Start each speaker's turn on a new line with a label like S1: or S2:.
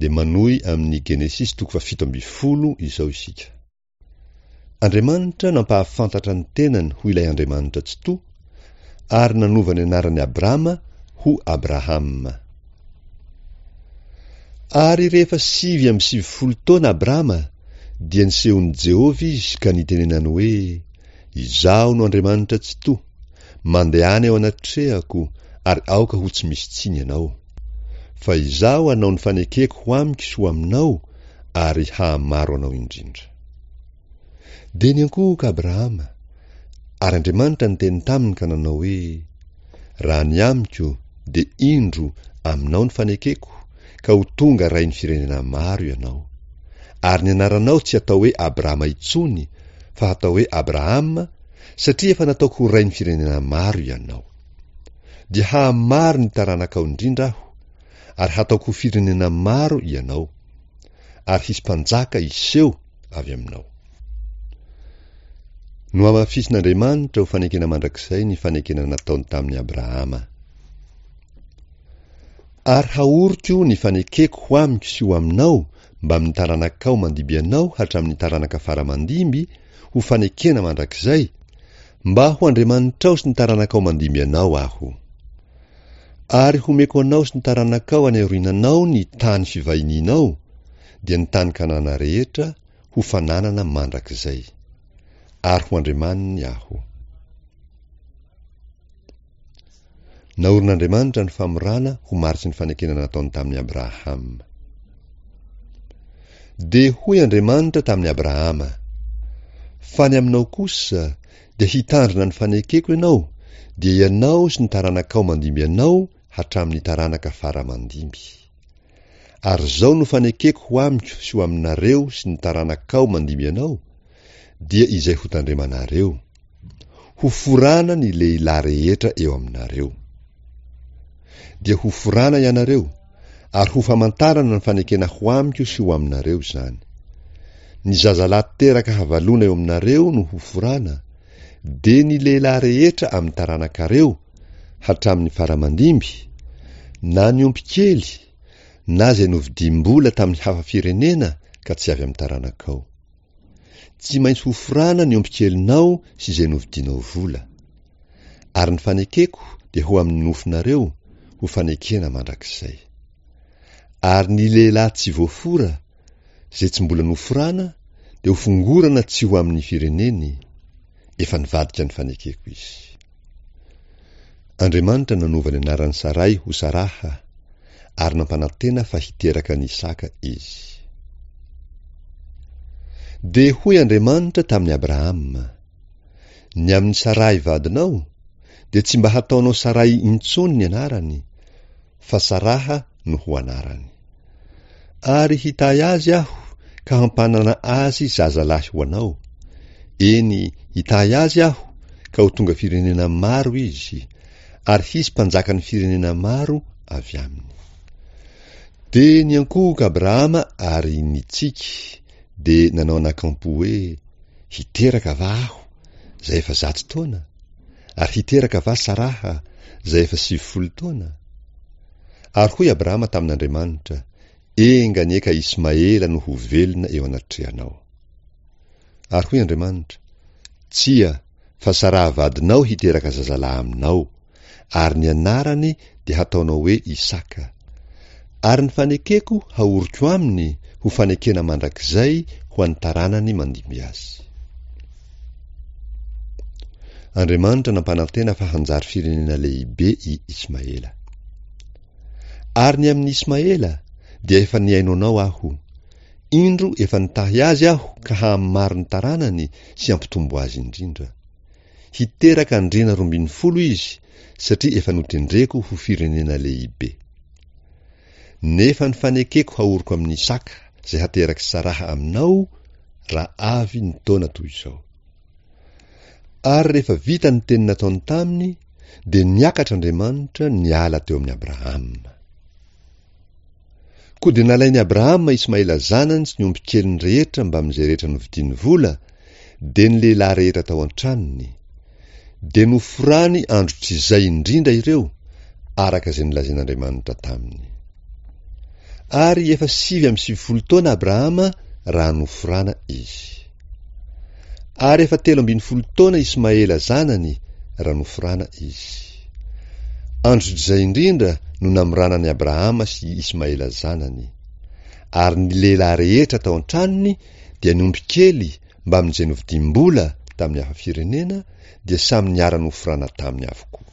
S1: Dia manohy amin'ny Genesisy toko faha-17 izao isika. Andriamanitra nampahafantatra ny tenany ho ilay Andriamanitra Tsitoha ary nanova ny anaran'i Abrama ho Abrahama. Ary rehefa 99 taona Abrama dia nisehon'i Jehovah izy ka nitenenany hoe, Izaho no Andriamanitra Tsitoha, mandehana eo anatrehako ary aoka ho tsy misy tsiny ianao. Fa Izaho hanao ny fanekeko ho amiko sy ho aminao ary hahamaro anao indrindra. Dia niankohoka Abrahama, ary Andriamanitra niteny taminy ka nanao hoe, Raha ny amiko, dia indro, aminao ny fanekeko, ka ho tonga rain'ny firenena maro ianao. Ary ny anaranao tsy hatao hoe Abrama intsony, fa hatao hoe Abrahama, satria efa nataoko ho rain'ny firenena maro ianao. Dia hahamaro ny taranakao indrindra Aho, ary hataoko ho firenena maro ianao, ary hisy mpanjaka hiseho avy aminao. Nohamafisin'Andriamanitra ho fanekena mandrakizay ny fanekena nataony tamin'i Abrahama. Ary haoriko ny fanekeko ho amiko sy ho aminao mbamin'ny taranakao mandimby anao hatramin'ny taranaka fara mandimby ho fanekena mandrakizay, mba ho Andriamanitrao sy ny taranakao mandimby anao Aho. Ary homeko anao sy ny taranakao any aoriananao ny tany fivahinianao, dia ny tany Kanana rehetra, ho fananana mandrakizay. Ary ho Andriamaniny Aho. Naorin'Andriamanitra ny famorana ho mariky ny fanekena nataony tamin'i Abrahama. Dia hoy Andriamanitra tamin'i Abrahama, Fa ny aminao kosa, dia hitandrina ny fanekeko ianao, dia ianao sy ny taranakao mandimby anao hatramin'ny taranaka fara mandimby. Ary izao no fanekeko ho amiko sy ho aminareo sy ny taranakao mandimby anao, dia izay hotandremanareo. Hoforana ny lehilahy rehetra eo aminareo. Dia hoforana ianareo, ary ho famantarana ny fanekena ho amiko sy ho aminareo izany. Ny zazalahy teraka havalona eo aminareo no hoforana, dia ny lehilahy rehetra amin'ny taranakareo, hatramin'ny fara aman-dimby, na ny omby kely, na izay novidiam-bola tamin'ny hafa firenena ka tsy avy amin'ny taranakao. Tsy maintsy hoforana ny ombikelinao sy izay novidianao vola. Ary ny fanekeko dia ho amin'ny nofonareo, ho fanekena mandrakizay. Ary ny lehilahy tsy voafora, izay tsy mbola noforana, dia hofongorana tsy ho amin'ny fireneny, efa nivadika ny fanekeko izy. Andriamanitra nanova ny anaran'i Saray ho Saraha, ary nampanantena fa hiteraka an'i Isaka izy. Dia hoy Andriamanitra tamin'i Abrahama, Ny amin'i Saray vadinao, dia tsy mba hataonao Saray intsony ny anarany, fa Saraha no ho anarany. Ary hitahy azy Aho ka hampanana azy zazalahy ho anao, eny, hitahy azy Aho ka ho tonga firenena maro izy, ary hisy mpanjakan'ny firenena maro avy aminy. Dia niankohoka Abrahama ary nitsiky, dia nanao anakampo hoe, Hiteraka va aho, izay efa zato taona? Ary hiteraka va Saraha, izay efa 90 taona? Ary hoy Abrahama tamin'Andriamanitra, Enga anie ka Ismaela no ho velona eo anatrehanao. Ary hoy Andriamanitra, Tsia, fa Saraha vadinao hiteraka zazalahy aminao, ary ny anarany dia hataonao hoe Isaka. Ary ny fanekeko haoriko aminy ho fanekena mandrakizay ho an'ny taranany mandimby azy. Andriamanitra nampanantena fa hanjary firenena lehibe i Ismaela. Ary ny amin'i Ismaela, dia efa nihaino anao Aho. Indro efa nitahy azy Aho ka hahamaro ny taranany sy hampitombo azy indrindra. Hiteraka andriana 12 izy, satria efa notendreko ho firenena lehibe. Nefa ny fanekeko haoriko amin'i Isaka, izay haterak'i Saraha aminao, raha avy ny taona toy izao. Ary rehefa vita ny teny nataony taminy, dia niakatra Andriamanitra niala teo amin'i Abrahama. Koa dia nalain'i Abrahama Ismaela zanany sy ny ombikeliny rehetra mbamin'izay rehetra novidiany vola, dia ny lehilahy rehetra tao an-tranony. Dia noforany androtr'izay indrindra ireo, araka izay nolazain'Andriamanitra taminy. Ary efa 99 taona Abrahama raha noforana izy. Ary efa 13 taona Ismaela zanany raha noforana izy. Andro izay indrindra no namorana an'i Abrahama sy Ismaela zanany. Ary ny lehilahy rehetra tao an-tranony dia ny omby kely mbamin'izay novidiam-bola tamin'ny hafa firenena dia samy niara-noforana taminy avokoa.